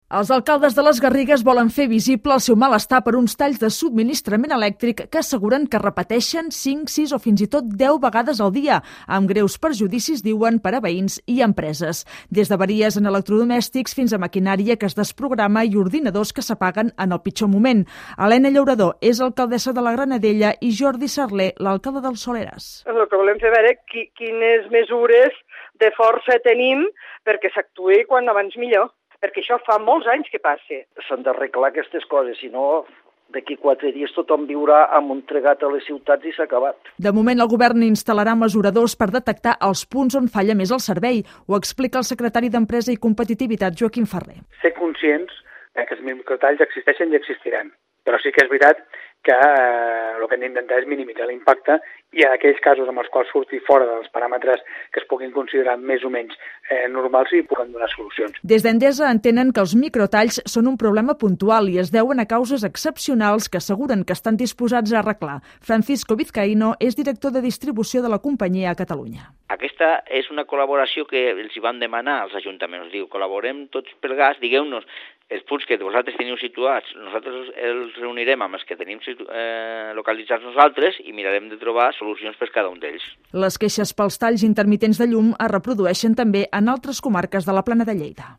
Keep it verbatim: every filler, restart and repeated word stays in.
Els alcaldes de les Garrigues volen fer visible el seu malestar per uns talls de subministrament elèctric que asseguren que repeteixen cinc, sis o fins i tot deu vegades al dia, amb greus perjudicis, diuen, per a veïns i empreses. Des d'avaries en electrodomèstics fins a maquinària que es desprograma i ordinadors que s'apaguen en el pitjor moment. Helena Llaurador és alcaldessa de la Granadella i Jordi Sarler, l'alcalde del Soleràs. El que volem fer veure qui, quines mesures de força tenim perquè s'actuï quan abans millor. Perquè això fa molts anys que passa. S'han d'arreglar aquestes coses, si no, d'aquí quatre dies tothom viurà amb un tregat a les ciutats i s'ha acabat. De moment, el govern instal·larà mesuradors per detectar els punts on falla més el servei, ho explica el secretari d'Empresa i Competitivitat, Joaquim Ferrer. Ser conscients que els microtalls existeixen i existiran, però sí que és veritat que eh, el que hem d'intentar és minimitzar l'impacte i en aquells casos amb els quals surti fora dels paràmetres que es puguin considerar més o menys eh, normals i puguem donar solucions. Des d'Endesa entenen que els microtalls són un problema puntual i es deuen a causes excepcionals que asseguren que estan disposats a arreglar. Francisco Vizcaíno és director de distribució de la companyia a Catalunya. Aquesta és una col·laboració que els hi van demanar als ajuntaments. Diu, col·laborem tots plegats, digueu-nos els punts que vosaltres teniu situats, nosaltres els reunirem amb els que tenim eh, localitzats nosaltres i mirarem de trobar solucions per cada un d'ells. Les queixes pels talls intermitents de llum es reprodueixen també en altres comarques de la Plana de Lleida.